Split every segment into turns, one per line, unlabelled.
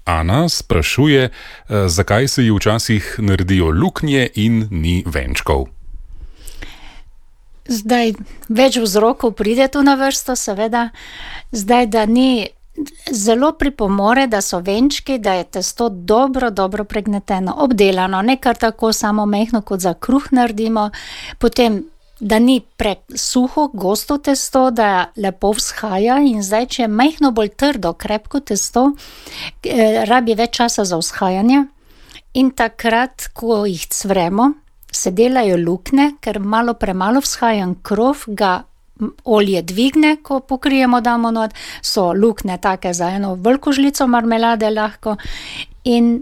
Ana sprašuje, zakaj se ji včasih naredijo luknje in ni venčkov.
Zdaj, več vzrokov pride tu na vrsto, seveda. Zdaj, da ni zelo pripomore, da so venčki, da je testo dobro pregneteno, obdelano, ne kar tako samo mehko, kot za kruh naredimo. Potem, da ni presuho, gosto testo, da lepo vzhaja, in zdaj, če je mehko bolj trdo, krepko testo, rabi več časa za vzhajanje. In takrat, ko jih cvremo, se delajo luknje, ker malo premalo vzhajan krov, ga olje dvigne, ko pokrijemo, damo not, so luknje take za eno veliko žlico marmelade lahko, in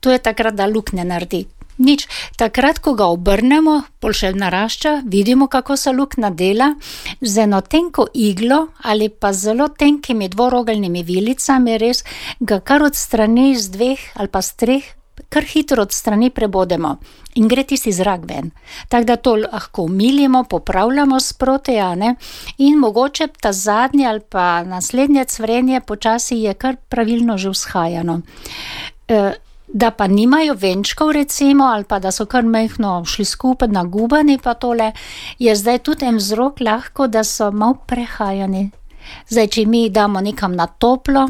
to je takrat, da luknje naredi. Nič, takrat, ko ga obrnemo, pol še narašča, vidimo, kako se luknja dela, z eno tenko iglo ali pa zelo tenkimi dvorogeljnimi vilicami, res ga kar od strani z dveh ali pa z treh, kar hitro od strani prebodemo in gre tisti zrak ven. Tako da to lahko umilimo, popravljamo sproti, in mogoče ta zadnje ali pa naslednje cvrenje počasi je kar pravilno že vzhajano. Da pa nimajo venčkov recimo, ali pa da so kar mehko šli skupaj nagubani pa tole, je zdaj tudi en vzrok lahko, da so malo prehajani. Zdaj, če mi damo nekam na toplo,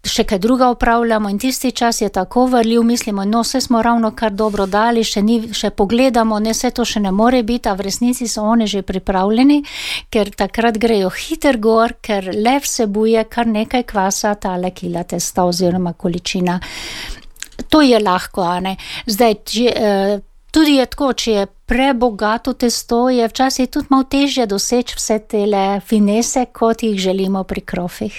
še kaj druga opravljamo in tisti čas je tako varljiv, mislimo, no, vse smo ravno kar dobro dali, še pogledamo, ne, vse to še ne more biti, a v resnici so oni že pripravljeni, ker takrat grejo hiter gor, ker le vsebuje kar nekaj kvasa, tale kila testa oziroma količina. To je lahko, Zdaj, tudi je tako, če je prebogato testo, je včasih tudi malo težje doseči vse tele finese, kot jih želimo pri krofih.